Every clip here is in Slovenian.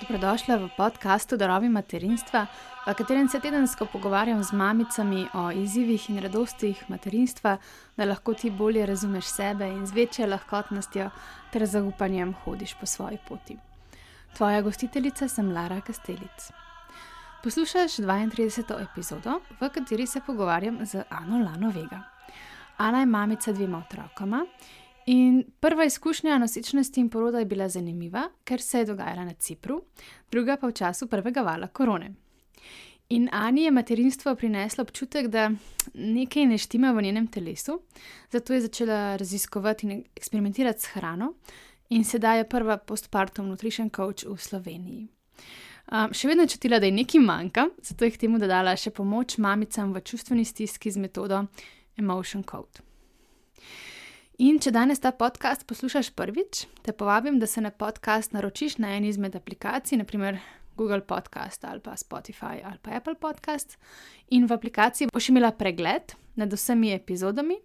Dobrodošla v podkastu Darovi materinstva, v katerem se tedensko pogovarjam z mamicami o izzivih in radostih materinstva, da lahko ti bolje razumeš sebe in z večjo lahkotnostjo ter zaupanjem hodiš po svoji poti. Tvoja gostiteljica sem Lara Kastelic. Poslušaš 32. epizodo, v kateri se pogovarjam z Ano Lano Vega. Ana je mamica 2 otrokoma. In prva izkušnja nosečnosti in poroda je bila zanimiva, ker se je dogajala na Cipru, druga pa v času prvega vala korone. In Ani je materinstvo prineslo občutek, da nekaj ne štima v njenem telesu, zato je začela raziskovati in eksperimentirati s hrano in sedaj je prva postpartum nutrition coach v Sloveniji. Še vedno je čutila, da je nekaj manjka, zato je k temu dodala še pomoč mamicam v čustveni stiski z metodo Emotion Code. In če danes ta podcast poslušaš prvič, te povabim, da se na podcast naročiš na eni izmed aplikacij, naprimer Google Podcast ali pa Spotify ali pa Apple Podcast. In v aplikaciji boš imela pregled nad vsemi epizodami,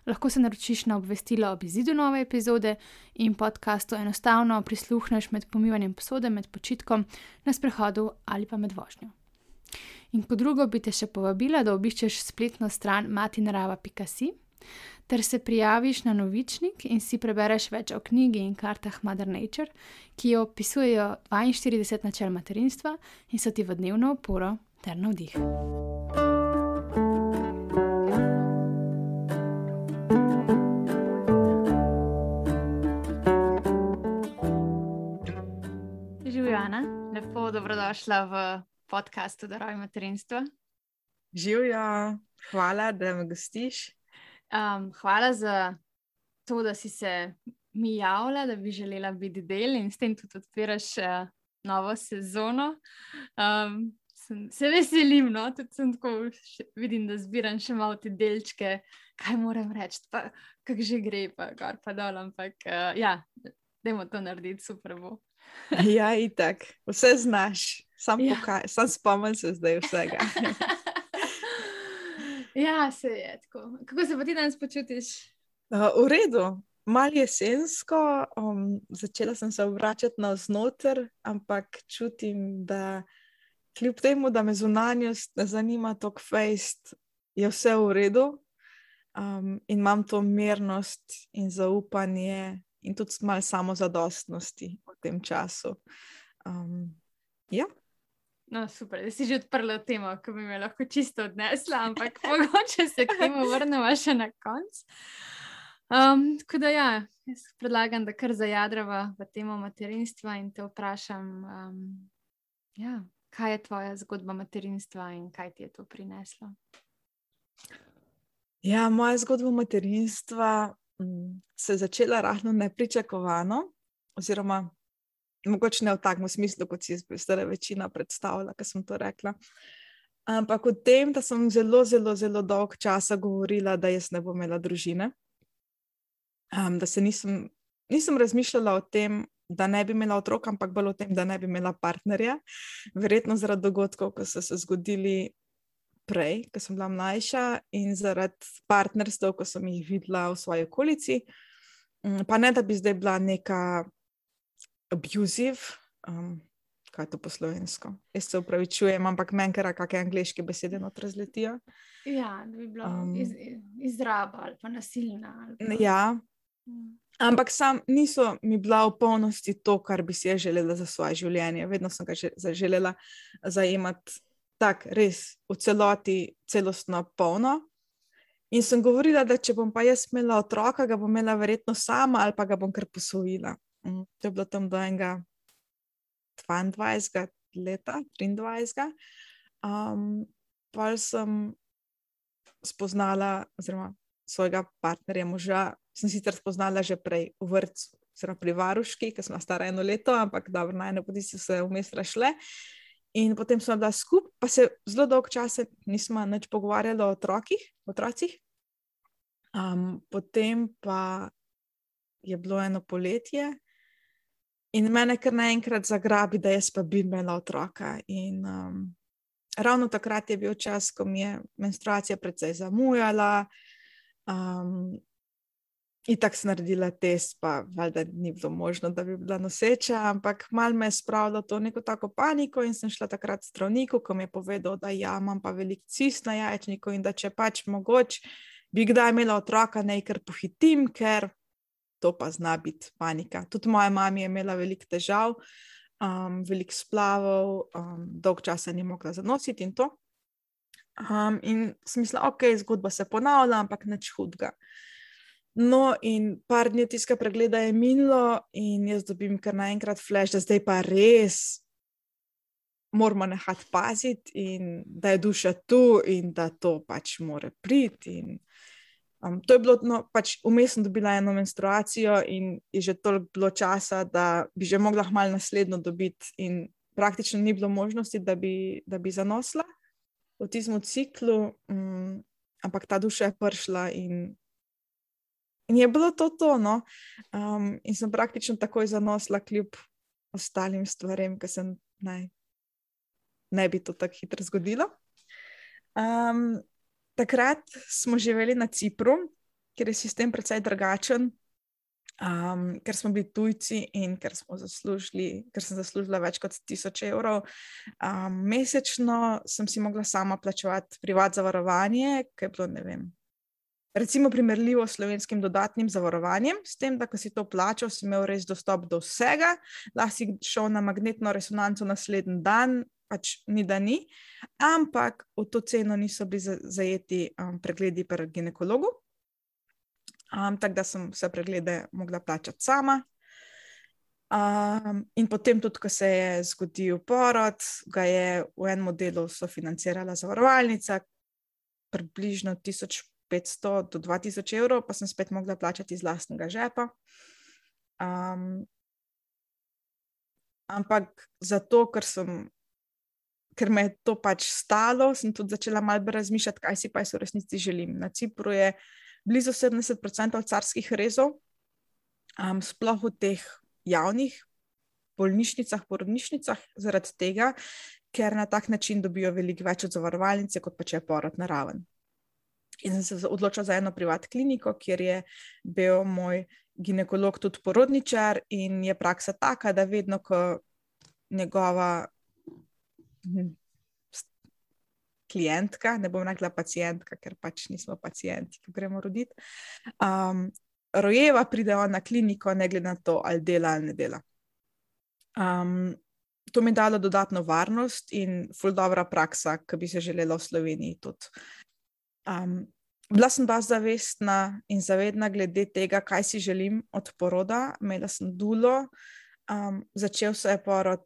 lahko se naročiš na obvestilo ob izidu nove epizode in podcastu enostavno prisluhneš med pomivanjem posode, med počitkom, na sprehodu ali pa med vožnjo. In kot drugo bi te še povabila, da obiščeš spletno stran matinarava.si ter se prijaviš na novičnik in si prebereš več o knjigi in kartah Mother Nature, ki jo opisujejo 42 načel materinstva in so ti v dnevno oporo ter navdih. Živjo, Ana, lepo dobrodošla v podkastu Darovi materinstva. Živjo, hvala, da me gostiš. Hvala za to, da si se mi javila, da bi želela biti del in s tem tudi odpiraš novo sezono. Se veselim, no? Tudi sem tako, vidim, da zbiram še malo te delčke, kaj moram reči, pa kako že gre, pa gor pa dol, ampak dajmo to narediti, super bo. Ja, itak, vse znaš, sam spomnim se zdaj vsega. Ja, se je tako. Kako se pa ti danes počutiš? V redu, malo jesensko, začela sem se vračati navznoter, ampak čutim, da kljub temu, da me zunanjost ne zanima toliko fejst, je vse v redu in imam to mirnost in zaupanje in tudi malo samozadostnosti v tem času. Ja. No, super, da si že odprla temo, ko bi me lahko čisto odnesla, ampak mogoče se k temu vrnemo še na konc. Tako da jaz predlagam, da kar zajadrava v temo materinstva in te vprašam, kaj je tvoja zgodba materinstva in kaj ti je to prineslo? Ja, moja zgodba materinstva se je začela rahlo nepričakovano, oziroma mogoče ne v takem smislu, kot si zdaj večina predstavlja, ko sem to rekla. Ampak o tem, da sem zelo dolgo časa govorila, da jaz ne bom imela družine. Da se nisem razmišljala o tem, da ne bi imela otroka, ampak bolj o tem, da ne bi imela partnerja. Verjetno zaradi dogodkov, ko so se zgodili prej, ko sem bila mlajša in zaradi partnerstev, ko sem jih videla v svoji okolici. Pa ne, da bi zdaj bila neka abusive, kaj je to po slovensko? Jaz se upravičujem, ampak meni kar kakšne angleške besede not razletijo. Ja, da bi bila izraba ali pa nasilna. Ali pa... Ja, ampak niso mi bila v polnosti to, kar bi si jaz želela za svoje življenje. Vedno sem ga želela zajemati tak res v celoti, celostno polno. In sem govorila, da če bom pa jaz imela otroka, ga bom imela verjetno sama ali pa ga bom kar posvojila. To je bilo tam do enega 22 leta, 23. Pa sem spoznala, oziroma svojega partnerja, moža, sem sicer spoznala že prej v vrtcu, oziroma pri varuški, ker sem stara 1 leto, ampak dobro, na ene poti so se vmes razšle. In potem smo bila skupaj, pa se zelo dolgo časa nismo nič pogovarjali o otrocih. Potem pa je bilo eno poletje in mene kar naenkrat zagrabi, da jaz pa bi imela otroka. In ravno takrat je bil čas, ko mi je menstruacija precej zamujala. itak sem naredila test, pa valjda ni bilo možno, da bi bila noseča, ampak malo me je spravilo to neko tako paniko in sem šla takrat k zdravniku, ko mi je povedal, da ja, imam pa veliko cist na jajčniku in da če pač mogoče bi kdaj imela otroka, naj kar pohitim, ker to pa zna biti panika. Tudi moja mama je imela veliko težav, veliko splavov, dolg časa ni mogla zanositi in to. In sem mislila, ok, zgodba se ponavlja, ampak nič hudega. No, in par dni tistega pregleda je minilo in jaz dobim kar naenkrat flash, da zdaj pa res moramo nehati paziti in da je duša tu in da to pač mora priti. In, to je bilo, no, pač vmes sem dobila eno menstruacijo in je že toliko bilo časa, da bi že mogla malo naslednjo dobiti in praktično ni bilo možnosti, da bi zanosila v tistem ciklu, ampak ta duša je prišla in je bilo to, no. In sem praktično takoj zanosila kljub ostalim stvarem, ki se ne bi to tako hitro zgodilo. Takrat smo živeli na Cipru, kjer je sistem precej drugačen, ker smo bili tujci in ker sem zaslužila več kot 1000 evrov. Mesečno sem si mogla sama plačevati privat zavarovanje, ki je bilo, ne vem, recimo primerljivo s slovenskim dodatnim zavarovanjem, s tem, da ko si to plačal, si imel res dostop do vsega, lahko si šel na magnetno resonanco naslednji dan, pač ni da ni, ampak v to ceno niso bili zajeti pregledi pri ginekologu, tako da sem vse preglede mogla plačati sama. In potem tudi, ko se je zgodil porod, ga je v enem delu sofinancirala zavarovalnica, približno 1500 do 2000 evrov, pa sem spet mogla plačati iz lastnega žepa. Ampak zato, ker me je to pač stalo, sem tudi začela malo razmišljati, kaj si pa jaz v resnici želim. Na Cipru je blizu 70% carskih rezov, sploh v teh javnih bolnišnicah, porodnišnicah, zaradi tega, ker na tak način dobijo veliko več od zavarovalnice, kot pa če je porod naraven. In sem se odločila za eno privat kliniko, kjer je bil moj ginekolog tudi porodničar in je praksa taka, da vedno, ko njegova klientka, ne bom rekla pacientka, ker pač nismo pacienti, ko gremo roditi, rojeva, pride on na kliniko, ne glede na to, ali dela ali ne dela. To mi je dalo dodatno varnost in ful dobra praksa, ki bi se želela v Sloveniji tudi. Bila sem dosti zavestna in zavedna glede tega, kaj si želim od poroda. Imela sem dulo, začel se je porod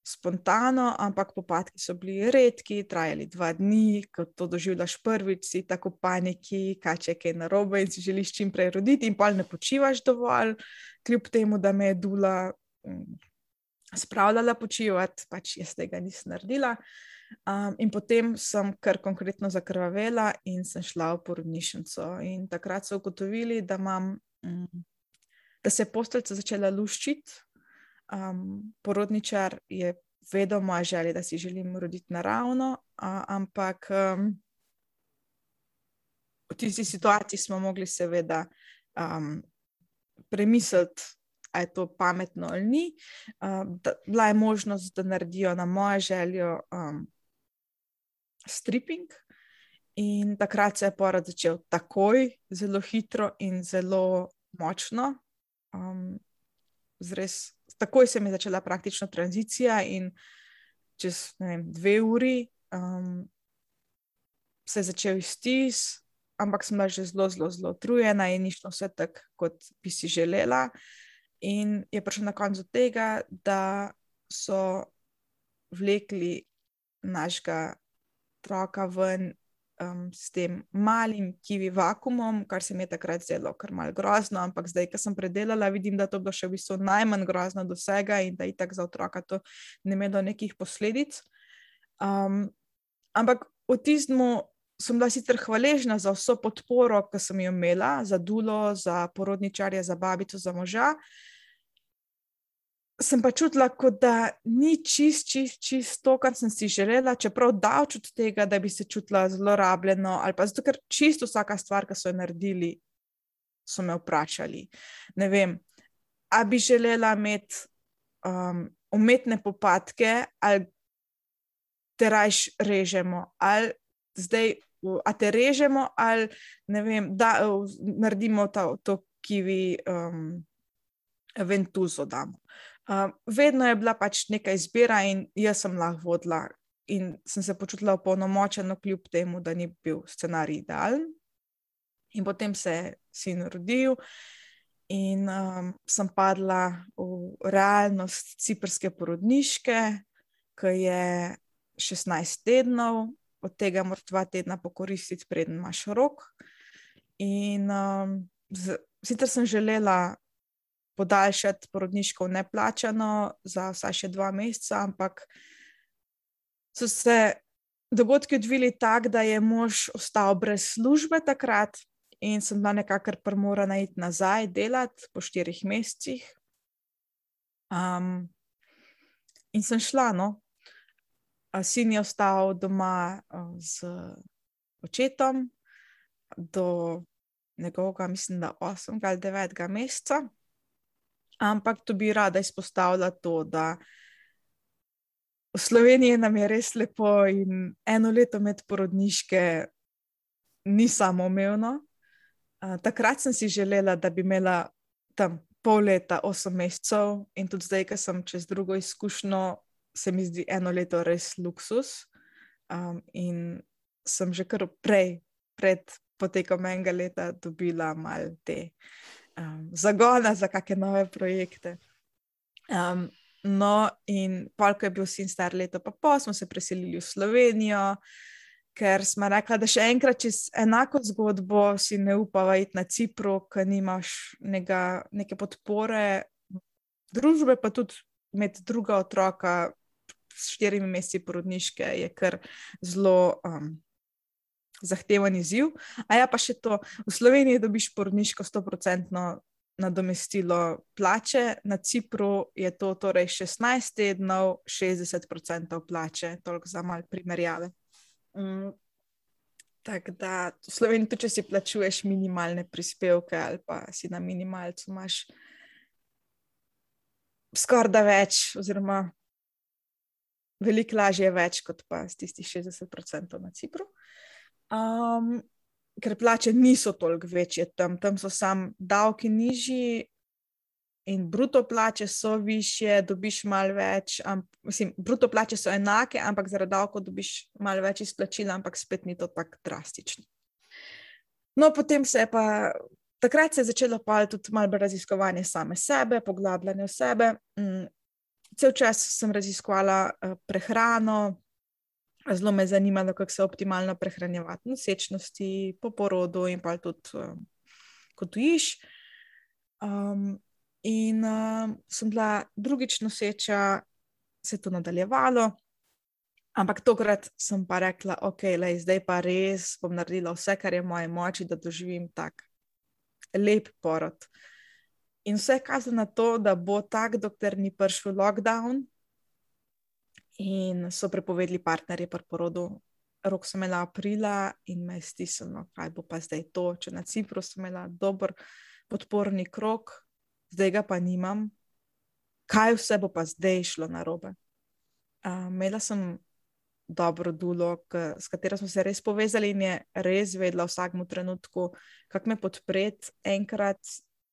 spontano, ampak popadki so bili redki, trajali 2 dni, ko to doživljaš prvič, si tako v paniki, kaj če je kaj narobe in si želiš čim prej roditi in pol ne počivaš dovolj, kljub temu, da me je dula spravljala počivati, pač jaz tega nisem naredila. In potem sem kar konkretno zakrvavela in sem šla v porodnišnico in takrat so ugotovili, da se je posteljica začela luščiti. Porodničar je vedel moja želja, da si želim roditi naravno, ampak v tisti situaciji smo mogli seveda premisliti, a je to pametno ali ni. Bila je možnost, da naredijo na mojo željo stripping in takrat se je porod začel takoj, zelo hitro in zelo močno. Takoj se mi je začela praktično tranzicija in čez, ne vem, 2 uri se je začel iztis, ampak sem bila že zelo utrujena in ni šlo vse tako, kot bi si želela. In je prišlo na koncu tega, da so vlekli našega otroka ven s tem malim kivi vakuumom, kar se mi je takrat zdelo kar malo grozno, ampak zdaj, ko sem predelala, vidim, da to bilo še v bistvu najmanj grozno do vsega in da itak za otroka to ne imelo nekih posledic. Ampak v tistemu sem bila sicer hvaležna za vso podporo, ki sem jo imela, za dulo, za porodničarja, za babico, za moža. Sem pa čutila, kot da ni čist to, kar sem si želela, čeprav daleč od tega, da bi se čutila zelo rabljeno, ali pa zato, ker čisto vsaka stvar, ki so jo naredili, so me vprašali, ne vem, a bi želela imeti umetne popadke, ali te rajš režemo, ali zdaj, a te režemo, ali ne vem, da naredimo to kiwi ventuzo damo. Vedno je bila pač neka izbira in jaz sem lahko vodila in sem se počutila opolnomočeno kljub temu, da ni bil scenarij idealen. In potem se je sin rodil in sem padla v realnost ciprske porodniške, ki je 16 tednov, od tega moraš 2 tedna pokoristiti, preden imaš rok. In sicer sem želela podaljšati porodniško neplačano za vsaj še 2 meseca, ampak so se dogodki odvili tako, da je mož ostal brez službe takrat in sem bila nekako primorana iti nazaj delati po 4 mesecih. In sem šla, no. Sin je ostal doma z očetom do njegovega, mislim, da 8. ali 9. meseca. Ampak to bi rada izpostavila to, da v Sloveniji nam je res lepo in 1 leto med porodniške ni samoumevno. Takrat sem si želela, da bi imela tam pol leta, 8 mesecev in tudi zdaj, ko sem čez drugo izkušnjo, se mi zdi 1 leto res luksus. In sem že kar pred potekom 1 leta dobila malo te zagona za kakšne nove projekte. No, in pol, ko je bil sin star 1,5 leta, smo se preselili v Slovenijo, ker smo rekla, da še enkrat čez enako zgodbo si ne upava iti na Cipru, ker nimaš neke podpore družbe, pa tudi imeti druga otroka s 4 meseci porodniške je kar zelo zahteven izziv. A ja, pa še to, v Sloveniji dobiš porodniško 100% nadomestilo plače, na Cipru je to torej 16 tednov, 60% plače, toliko za malo primerjave. Tako da v Sloveniji tudi, če si plačuješ minimalne prispevke ali pa si na minimalcu, imaš skoraj da več, oziroma veliko lažje več, kot pa s tistih 60% na Cipru. Ker plače niso toliko večje tam so samo davki nižji in bruto plače so višje, dobiš malo več, mislim, bruto plače so enake, ampak zaradi davkov dobiš malo več izplačila, ampak spet ni to tako drastično. No, potem takrat se je začelo pa tudi malo raziskovanje same sebe, poglabljanje v sebe. Cel čas sem raziskovala prehrano, zelo me je zanimalo, kako se optimalno prehranjevati nosečnosti, po porodu in pa tudi ko dojiš. In sem bila drugič noseča, se je to nadaljevalo, ampak tokrat sem pa rekla, zdaj pa res bom naredila vse, kar je v moji moči, da doživim tak lep porod. In vse je kazalo na to, da bo tak, dokler ni prišel lockdown in so prepovedali partnerje pri porodu. Rok sem imela aprila in me je stisnilo, kaj bo pa zdaj to, če na Cipru sem imela dober podporni krog, zdaj ga pa nimam. Kaj vse bo pa zdaj šlo narobe? Imela sem dobro dulo, s katero smo se res povezali in je res vedela v vsakem trenutku, kako me podpreti. Enkrat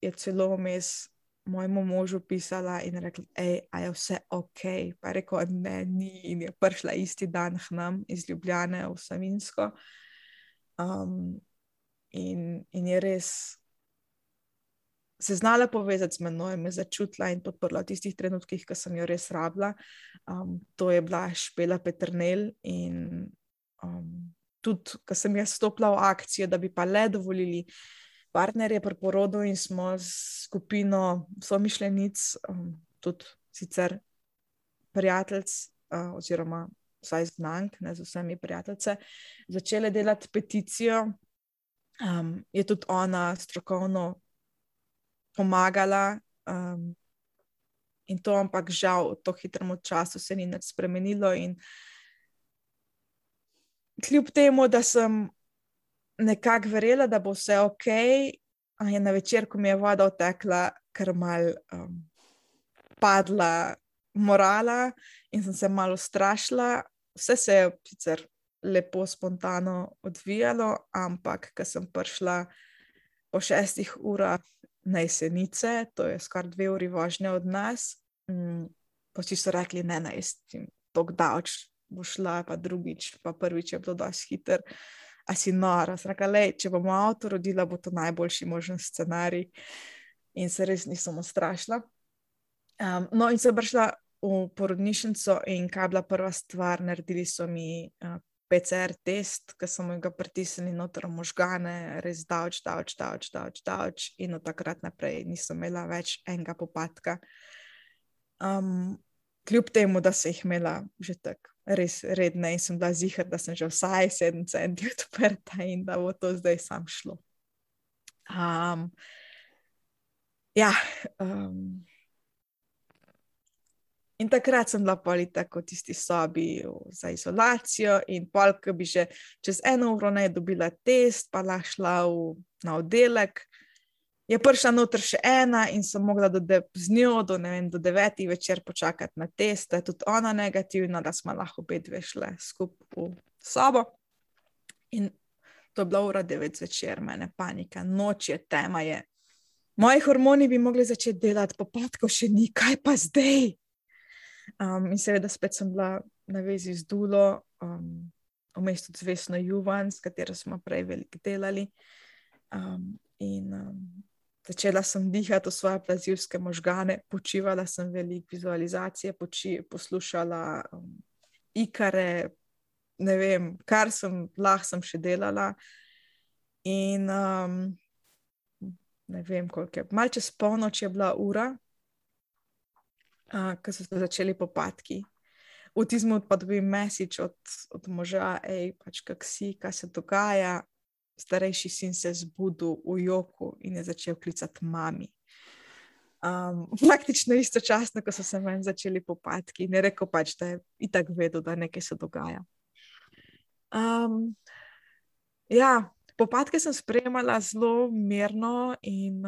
je celo vmes mojemu možu pisala in rekla, a je vse okej? Pa je rekel, ne, ni, in je prišla isti dan k nam iz Ljubljane v Savinjsko. In je res se znala povezati z menoj, me začutila in podprla v tistih trenutkih, ko sem jo res rabila. To je bila Špela Peternelj in tudi, ko sem jaz stopila v akcijo, da bi pa le dovolili partnerje pri porodu in smo s skupino somišljenic, tudi sicer prijateljic oziroma vsaj znank, ne z vsemi prijateljice, začele delati peticijo. Je tudi ona strokovno pomagala in to, ampak žal v to hitrem času se ni nič spremenilo in kljub temu, da sem nekako verjela, da bo vse okej, je na večer, ko mi je voda otekla, kar mal padla morala in sem se malo strašila. Vse se je sicer lepo spontano odvijalo, ampak ko sem prišla po 6 urah na Jesenice, to je skoraj 2 uri vožnje od nas, pa vsi so rekli, ne, tako daleč bo šla, pa drugič, pa prvič je bilo dosti hiter. A si nora? Sem rekla, lej, če bom avto rodila, bo to najboljši možen scenarij. In se res nisem ustrašila. No, in sem prišla v porodnišnico in kaj je bila prva stvar, naredili so mi PCR test, ki so mi ga pritisnili noter v možgane, res davč. In od takrat naprej nisem imela več enega popadka. Kljub temu, da sem jih imela že tako res redne in sem bila ziher, da sem že vsaj 7 centi odprta in da bo to zdaj sam šlo. In takrat sem bila pol tako v tisti sobi za izolacijo in pol, ko bi že čez 1 uro ne dobila test, pa lahko šla na oddelek, je prišla noter še ena in sem mogla z njo do 9 večer počakati na test, da je tudi ona negativna, da smo lahko obe dve šle skupaj v sobo. In to je bila ura 9 zvečer, mene panika, noč je, tema je. Moji hormoni bi mogli začeti delati, popadkov še ni, kaj pa zdaj? In seveda spet sem bila na vezi z Dulo, vmes tudi z Vesno Juvan, s katero smo prej veliko delali. Začela sem dihati v svoje plazivske možgane, počivala sem veliko vizualizacije, poslušala ikare, ne vem, kar sem lahko sem še delala. In ne vem, koliko je, malo čez polnoč je bila ura, ko so se začeli popadki. V tizmu pa dobim message od moža, pač kak si, kaj se dogaja. Starejši sin se je zbudil v joku in je začel klicati mami. Praktično istočasno, ko so se meni začeli popadki. In je rekel pač, da je itak vedel, da nekaj se dogaja. Popadke sem sprejemala zelo mirno in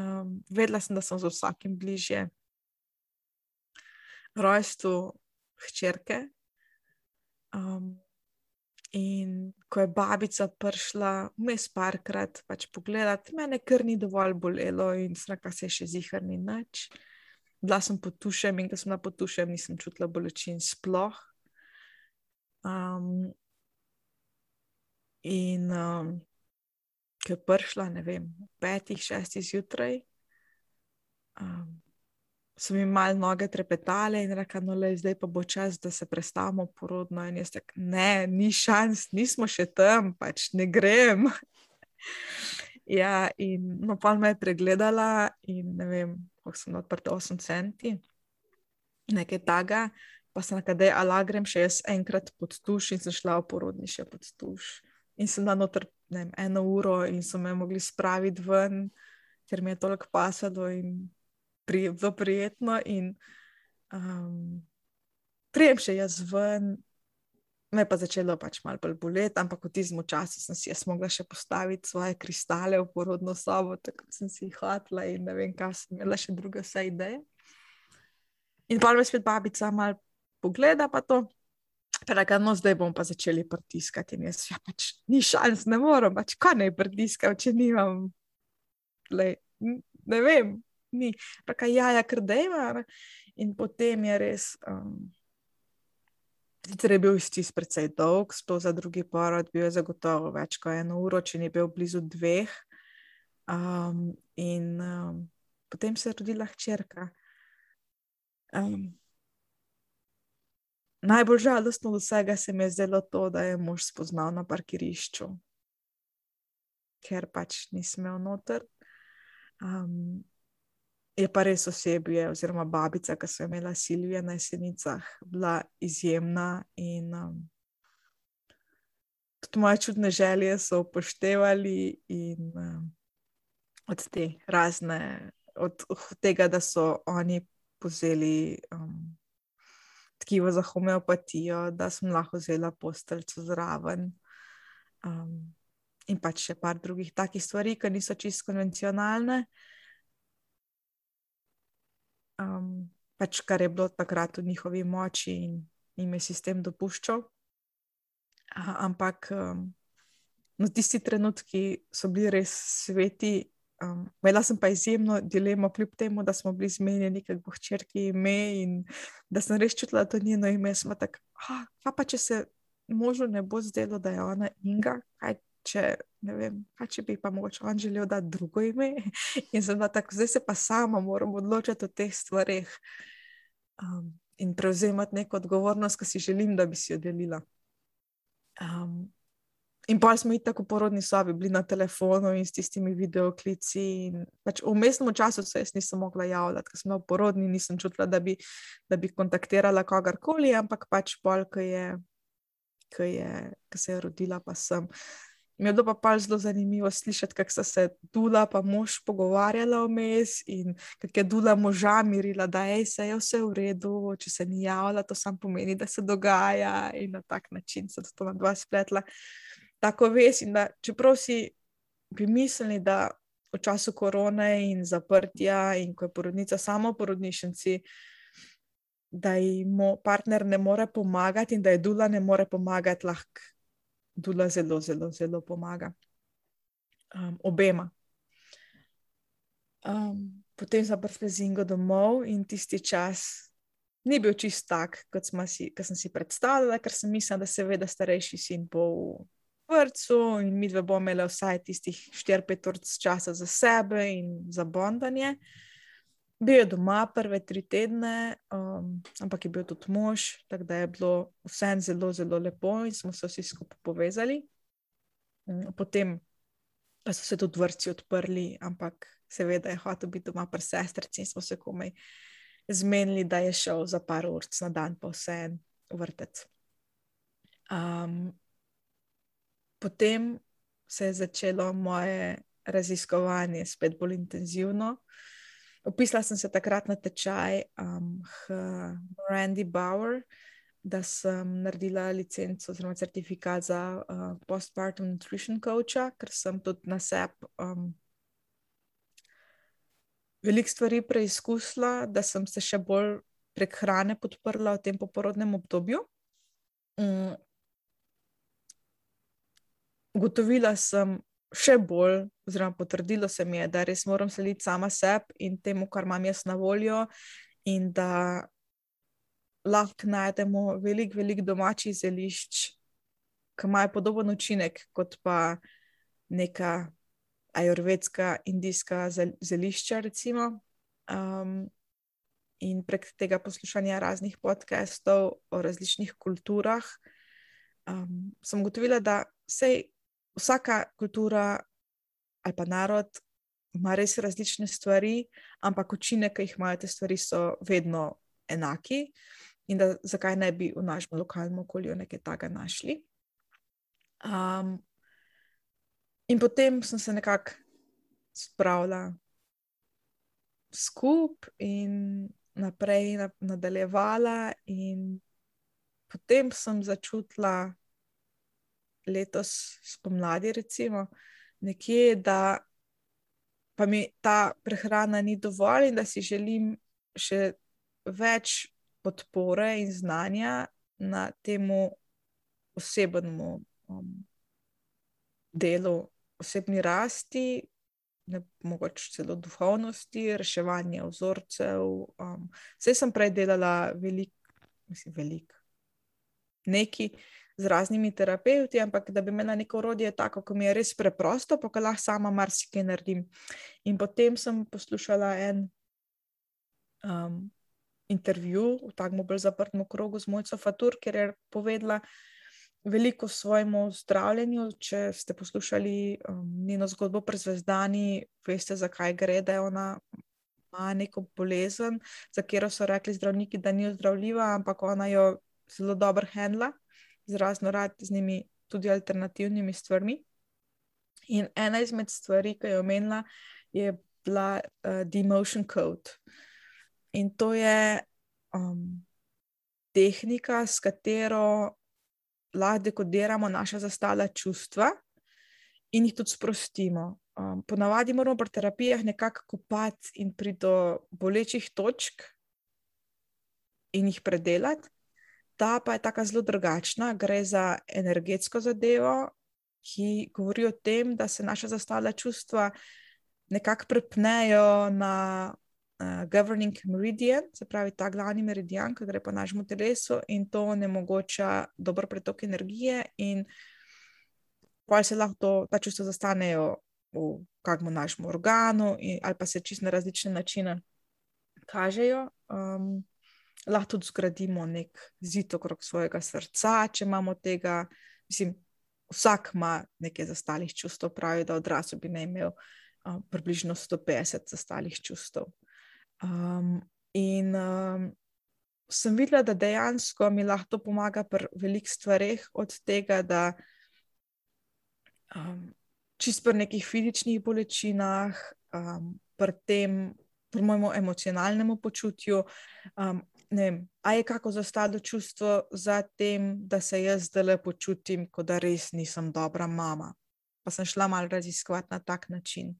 vedela sem, da sem z vsakim bližje rojstvu hčerke. In ko je babica prišla vmes parkrat pač pogledati, mene kar ni dovolj bolelo in sraka se še ziher ni nič. Bila sem pod tušem in ko sem bila pod tušem, nisem čutila bolečin sploh. Ko je prišla, ne vem, 5, 6 zjutraj, so mi malo noge trepetale in rekla, no lej, zdaj pa bo čas, da se prestavimo porodno. In jaz tako, ne, ni šans, nismo še tam, pač ne grem. In no, pol me je pregledala in ne vem, koliko sem odprta, 8 centi, nekaj taga, pa sem rekla, daj, ala grem še jaz enkrat pod tuš in sem šla v porodni še pod tuš. In sem bila noter, ne vem, 1 uro in so me mogli spraviti ven, ker mi je toliko pasalo in bilo prijetno in prijem še jaz ven, me pa začelo pač malo bolj boleti, ampak v tistem času sem si jaz mogla še postaviti svoje kristale v porodno sobo, tako sem si jih hotela in ne vem, kaj sem imela še druga vse ideje. In pa me spet babica malo pogleda pa to, pa reka, no zdaj bom pa začeli pritiskati in jaz, pač ni šans, ne moram, pač kaj naj pritiskam, če nimam, ne vem, ni. Reka, kar dejva. In potem je res, sicer je bil stis precej dolg, sploh za drugi porod, bil je zagotovo več kot 1 uro, če ni bil blizu 2. Potem se je rodila hčerka. Najbolj žalostno od vsega se mi je zdelo to, da je mož spoznal na parkirišču, ker pač nisem imel noter. Je pa res osebje, oziroma babica, ki so imela Silvija na Jesenicah, bila izjemna in tudi moje čudne želje so upoštevali in od te razne, od tega, da so oni vzeli tkivo za homeopatijo, da sem lahko vzela posteljco zraven. in pač še par drugih takih stvari, ki niso čisto konvencionalne. Pač kar je bilo takrat v njihovi moči in jim je sistem dopuščal. Ampak no, tisti trenutki so bili res sveti. Imela sem pa izjemno dilemo, kljub temu, da smo bili zmenjeni, kako bo hčerki ime in da sem res čutila, da to njeno ime. Smo tako, kaj pa če se možu ne bo zdelo, da je ona Inga, kaj če bi pa mogoče on želel dati drugo ime. In sem bila tako, zdaj se pa sama moram odločiti o teh stvareh in prevzemati neko odgovornost, ki si želim, da bi si jo delila. In pa smo itak v porodni sobi bili na telefonu in s tistimi videoklici in pač v vmesnem času se jaz nisem mogla javljati, ker sem bila v porodni, nisem čutila, da bi kontaktirala kogarkoli, ampak pač pol, ko se je rodila, pa sem. Mi je bilo pa zelo zanimivo slišati, kako sta se Dula pa mož pogovarjala vmes in kako je Dula moža mirila, da se je vse v redu, če se ni javila, to samo pomeni, da se dogaja in na tak način se to na dva spletla. Tako veš, in da čeprav si bi mislili, da v času korone in zaprtja in ko je porodnica samo v porodnišnici, da ji partner ne more pomagati in da je Dula ne more pomagati, lahko Dula zelo, zelo, zelo pomaga. Obema. Potem sem prišla z Ingo domov in tisti čas ni bil čist tak, kot sem si predstavljala, ker sem mislila, da seveda starejši sin bo v vrtcu in midve bomo imeli vsaj tistih 4-5 ur časa za sebe in za bondanje. Bil je doma prve 3 tedne, ampak je bil tudi mož, tako da je bilo vsem zelo, zelo lepo in smo se vsi skupaj povezali. Potem pa so se tudi vrtci odprli, ampak seveda je hotel biti doma pri sestrici in smo se komaj zmenili, da je šel za par ur na dan pa vsem v vrtec. Potem se je začelo moje raziskovanje spet bolj intenzivno. Upisala sem se takrat na tečaj Randy Bauer, da sem naredila licenco oziroma certifikat za postpartum nutrition coacha, ker sem tudi na sebi veliko stvari preizkusila, da sem se še bolj prek hrane podprla v tem poporodnem obdobju. Ugotovila sem še bolj, oziroma potrdilo se mi je, da res moram slediti sama sebi in temu, kar imam jaz na voljo in da lahko najdemo veliko domačih zelišč, ki imajo podoben učinek kot pa neka ajurvedska, indijska zelišča recimo. In prek tega poslušanja raznih podcastov o različnih kulturah sem ugotovila, da vsaka kultura ali pa narod ima res različne stvari, ampak učinek, ki jih imajo te stvari, so vedno enaki in da zakaj ne bi v našem lokalnem okolju nekaj takega našli. In potem sem se nekako spravila skupaj in naprej nadaljevala in potem sem začutila letos spomladi recimo nekje, da pa mi ta prehrana ni dovolj in da si želim še več podpore in znanja na temu osebnemu delu, osebni rasti, mogoče celo duhovnosti, reševanje vzorcev. Saj sem prej delala veliko neki z raznimi terapevti, ampak da bi imela neko orodje tako, ko mi je res preprosto, pa ko lahko sama marsikaj naredim. In potem sem poslušala en intervju v takem bolj zaprtem krogu z Mojco Fatur, kjer je povedala veliko o svojemu zdravljenju. Če ste poslušali njeno zgodbo pri Zvezdani, veste, zakaj gre, da je ona ima neko bolezen, za katero so rekli zdravniki, da ni ozdravljiva, ampak ona jo zelo dobro handla z raznoraznimi tudi alternativnimi stvarmi. In ena izmed stvari, ki je omenila, je bila Demotion Code. In to je tehnika, s katero lahko dekodiramo naša zastala čustva in jih tudi sprostimo. Ponavadi moramo pri terapijah nekako kopati in priti do bolečih točk in jih predelati. Ta pa je taka zelo drugačna, gre za energetsko zadevo, ki govori o tem, da se naša zastavljena čustva nekako prepnejo na governing meridian, se pravi ta glavni meridian, ki gre po našemu telesu in to onemogoča dober pretok energije in pa se lahko ta čustva zastanejo v kakšnem našem organu ali pa se čisto na različne načine kažejo. Lahko tudi zgradimo nek zid okrog svojega srca, če imamo tega, mislim, vsak ima nekaj zastalih čustev, pravi, da odrasel bi ne imel približno 150 zastalih čustev. Sem videla, da dejansko mi lahko pomaga pri velikih stvareh, od tega, da čisto pri nekih fizičnih bolečinah, pri mojemu emocionalnemu počutju, ne vem, a je kako zastalo čustvo za tem, da se jaz zdajle počutim, kot da res nisem dobra mama. Pa sem šla malo raziskovati na tak način.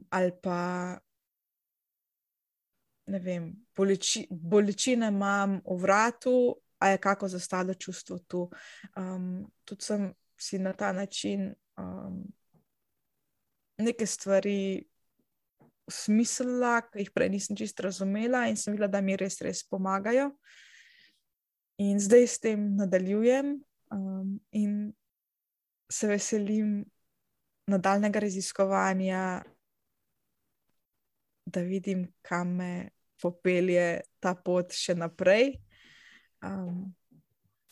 Ali pa, ne vem, bolečine imam v vratu, a je kako zastalo čustvo tu. Tudi sem si na ta način neke stvari smislila, ki jih prej nisem čisto razumela in sem videla, da mi res pomagajo. In zdaj s tem nadaljujem in se veselim nadaljnega raziskovanja, da vidim, kam me popelje ta pot še naprej.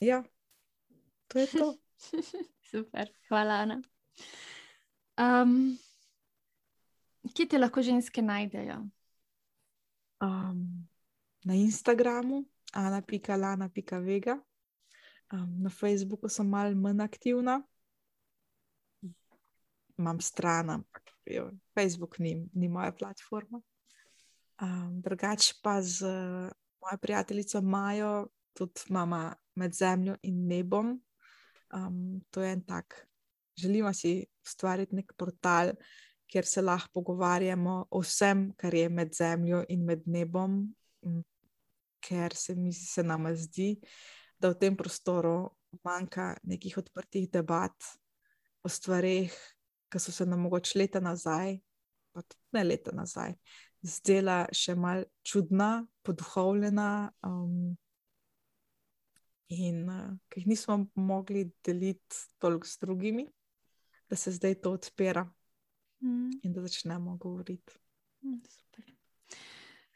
Ja, to je to. Super, hvala, Ana. Kje te lahko ženske najdejo? Na Instagramu ana.lana.vega. Na Facebooku sem malo manj aktivna. Imam stran, ampak Facebook ni moja platforma. Drugače pa z mojo prijateljico Majo tudi imamo Med zemljo in nebom. To je en tak, želimo si ustvariti nek portal, kjer se lahko pogovarjamo o vsem, kar je med zemljo in med nebom, ker se nama zdi, da v tem prostoru manjka nekih odprtih debat o stvareh, ki so se nam mogoče leta nazaj, pa tudi ne leta nazaj, zdela še malo čudna, poduhovljena in ki jih nismo mogli deliti toliko s drugimi, da se zdaj to odpira. In da začnemo govoriti. Super.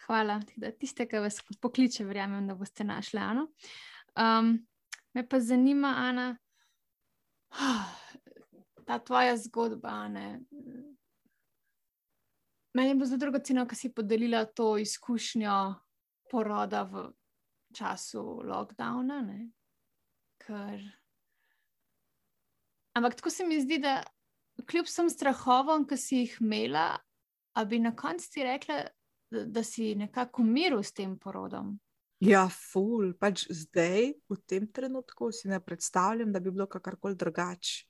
Hvala. Tiste, ki vas pokliče, verjamem, da boste našli Ano. Me pa zanima, Ana, ta tvoja zgodba, Ana. Meni je bilo zelo dragoceno, ko si podelila to izkušnjo poroda v času lockdowna, ne? Ampak tako se mi zdi, da kljub vsem strahovom, ki si jih imela, a bi na koncu ti rekla, da si nekako umiril s tem porodom? Ja, ful. Pač zdaj, v tem trenutku, si ne predstavljam, da bi bilo kakorkoli drugače.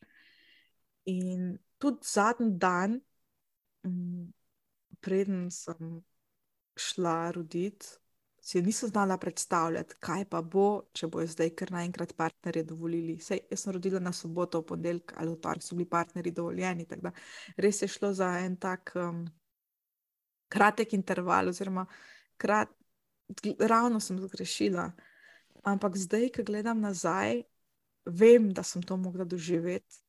In tudi zadnji dan, preden sem šla roditi, si nisem znala predstavljati, kaj pa bo, če bojo zdaj kar naenkrat partnerje dovolili. Sej, jaz sem rodila na soboto, v ponedeljek ali v torek so bili partnerji dovoljeni, tako da res je šlo za en tak kratek interval, oziroma ravno sem zgrešila. Ampak zdaj, ko gledam nazaj, vem, da sem to mogla doživeti,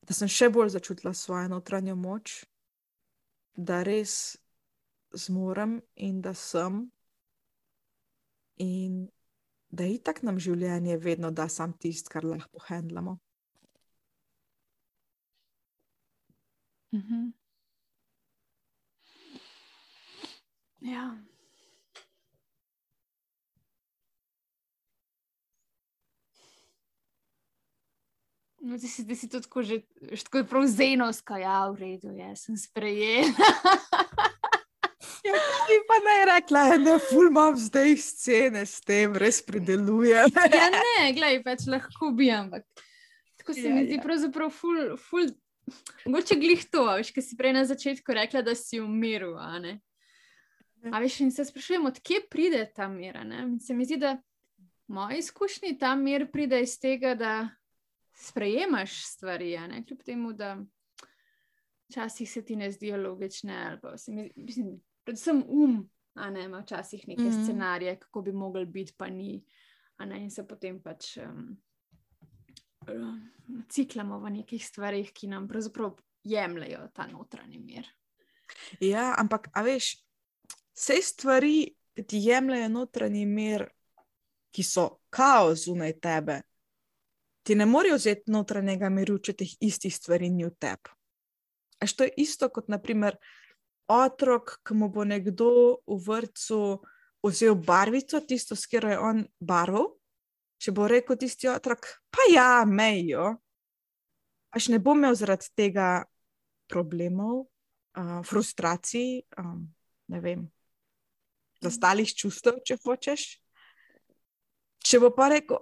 da sem še bolj začutila svojo notranjo moč, da res zmorem in da sem in da itak nam življenje vedno da sam tisto, kar lahko handlamo. Ja. No, ti si to tako že tako je prav zenovska, ja, v redu, jaz sem sprejela. Ja, ti pa ne rekla, ne, ful imam zdaj scene s tem, res predelujem. Ja, ne, glej, pač lahko bi, ampak tako se mi zdi pravzaprav ful, mogoče glih to, veš, ki si prej na začetku rekla, da si v miru, a ne? A veš, in se sprašujem, odkje pride ta mir, ne? In se mi zdi, da v moji izkušnji ta mir pride iz tega, da sprejemaš stvari, a ne? Kljub temu, da včasih se ti ne zdijo logične, ali pa mislim, predvsem a ne, ima včasih neke scenarije, kako bi mogli biti, pa ni, a ne, in se potem pač ciklamo v nekih stvarih, ki nam pravzaprav jemljajo ta notranji mir. Ja, ampak, a veš, vse stvari, ki ti jemljajo notranji mir, ki so kaos zunaj tebe, ti ne morejo vzeti notranjega miru, če teh istih stvari ni v tebi. A što je isto kot, naprimer, otrok, ki mu bo nekdo v vrtcu vzel barvico, tisto, s katero je on barval, če bo rekel tisti otrok, pa ja, mejo, až ne bo imel zaradi tega problemov, frustracij, ne vem, zastalih čustev, če hočeš. Če bo pa rekel,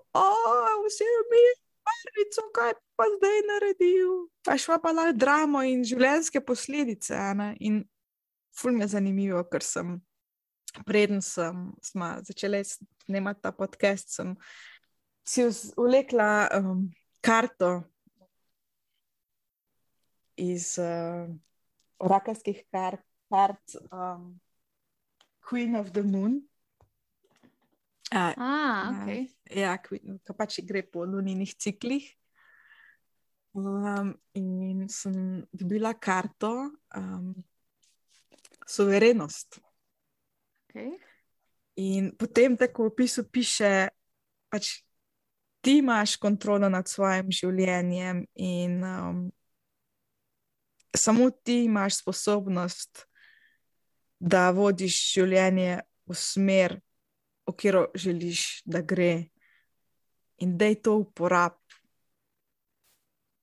vzel mi barvico, kaj pa zdaj naredil? Pa šla pa lahko dramo in življenjske posledice, ne? In ful mi je zanimivo, ker preden smo začeli snemati ta podcast, sem si vlekla karto iz orakelskih kart Queen of the Moon. Okay. Ja, ki pač gre po luninih ciklih. In sem dobila karto suverenost. Okay. In potem tako v opisu piše, pač ti imaš kontrolo nad svojim življenjem in samo ti imaš sposobnost, da vodiš življenje v smer, v katero želiš, da gre. In daj to uporab.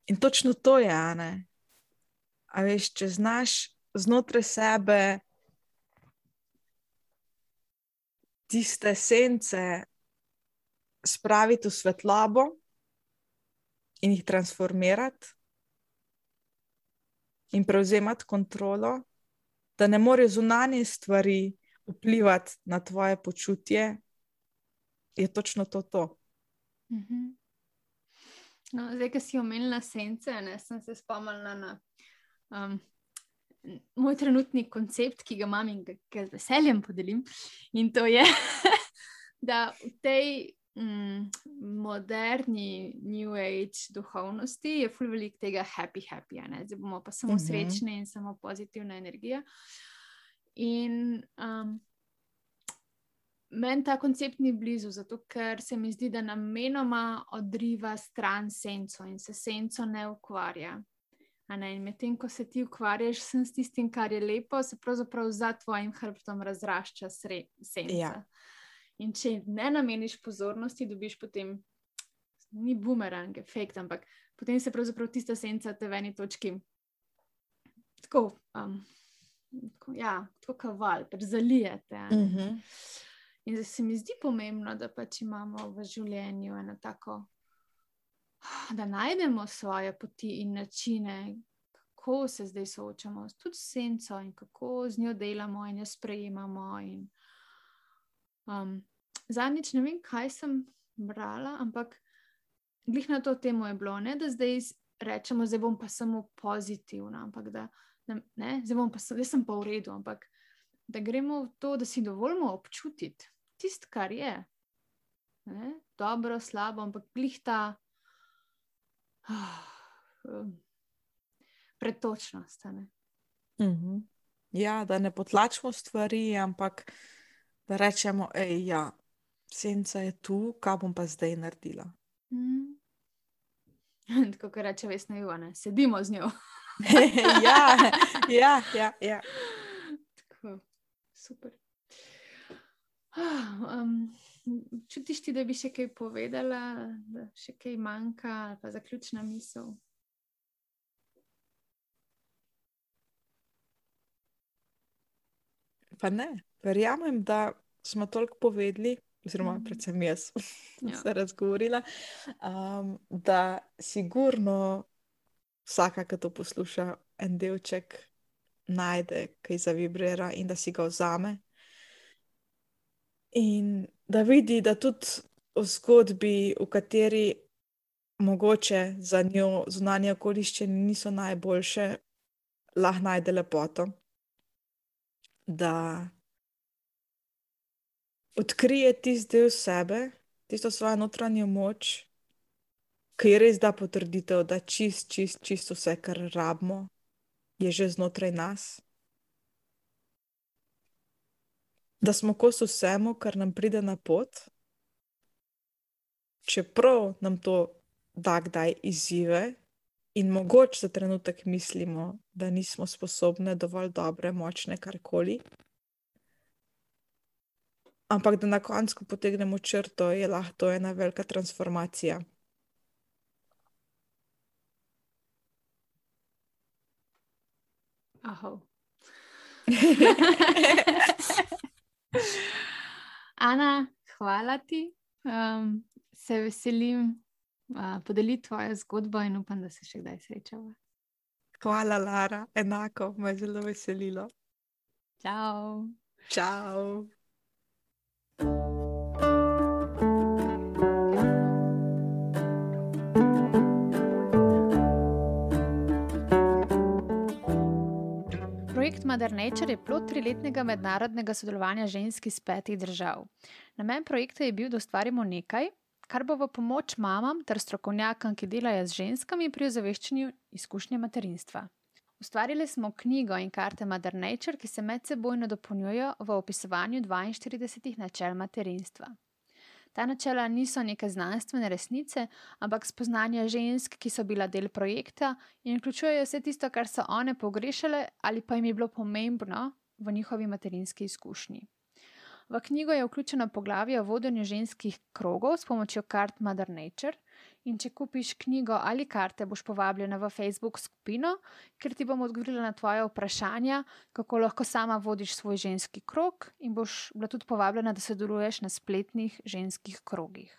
In točno to je, a ne? A veš, če znaš znotraj sebe tiste sence spraviti v svetlobo in jih transformirati in prevzemati kontrolo, da ne morejo zunanje stvari vplivati na tvoje počutje, je točno to. No, zdaj, ko si omenila sence, sem se spomnila na moj trenutni koncept, ki ga imam in ga z veseljem podelim. In to je, da v tej moderni New Age duhovnosti je ful veliko tega happy, ne? Zdaj bomo pa samo srečni in samo pozitivna energija. In meni ta koncept ni blizu, zato ker se mi zdi, da namenoma odriva stran senco in se senco ne ukvarja. In medtem, ko se ti ukvarjaš s tistim, kar je lepo, se pravzaprav za tvojim hrbtom razrašča senca. Ja. In če ne nameniš pozornosti, dobiš potem, ni bumerang efekt, ampak potem se pravzaprav tista senca te v eni točki tako kaval, zalijete. In zdaj se mi zdi pomembno, da pač imamo v življenju eno tako, da najdemo svoje poti in načine, kako se zdaj soočamo tudi s senco in kako z njo delamo in jo sprejemamo. Zadnjič ne vem, kaj sem brala, ampak glih na to temo je bilo, ne, da zdaj rečemo, zdaj bom pa samo pozitivna, ampak da ne, zdaj sem pa v redu, ampak da gremo v to, da si dovolimo občutiti tisto, kar je. Ne? Dobro, slabo, ampak glih ta pretočnost. Ja, da ne potlačimo stvari, ampak da rečemo, senca je tu, kaj bom pa zdaj naredila. Tako, kar reče Vesna Juva, ne? Sedimo z njo. Ja. Tako, super. Čutiš ti, da bi še kaj povedala, da še kaj manjka, ali pa zaključna misel? Pa ne, verjamem, da smo toliko povedali oziroma predvsem jaz, Ja. se razgovorila, da sigurno vsaka, ki to posluša, en delček najde, ki zavibrira in da si ga vzame. In da vidi, da tudi v zgodbi, v kateri mogoče za njo zunanje okoliščine niso najboljše, lahko najde lepoto. Da odkrije tisti del sebe, tisto svojo notranjo moč, ki res da potrditev, da čist vse, kar rabimo, je že znotraj nas. Da smo kos vsemu, kar nam pride na pot, čeprav nam to da kdaj izzive in mogoče za trenutek mislimo, da nismo sposobne, dovolj dobre, močne, karkoli. Ampak da na koncu, ko potegnemo črto, je lahko to ena velika transformacija. Ahov. Ana, hvala ti. Se veselim podeliti tvojo zgodbo in upam, da se še kdaj srečava. Hvala, Lara. Enako, me je zelo veselilo. Čau. Čau. Projekt Mother Nature je plod 3-letnega mednarodnega sodelovanja žensk iz 5 držav. Namen projekta je bil, da ustvarimo nekaj, kar bo v pomoč mamam ter strokovnjakom, ki delajo z ženskami pri ozaveščanju izkušnje materinstva. Ustvarili smo knjigo in karte Mother Nature, ki se medsebojno dopolnjujejo v opisovanju 42 načel materinstva. Ta načela niso neke znanstvene resnice, ampak spoznanja žensk, ki so bila del projekta in vključujejo vse tisto, kar so one pogrešale ali pa jim je bilo pomembno v njihovi materinski izkušnji. V knjigo je vključeno poglavje o vodenju ženskih krogov s pomočjo kart Mother Nature in če kupiš knjigo ali karte, boš povabljena v Facebook skupino, kjer ti bom odgovorila na tvoje vprašanja, kako lahko sama vodiš svoj ženski krog in boš bila tudi povabljena, da sodeluješ na spletnih ženskih krogih.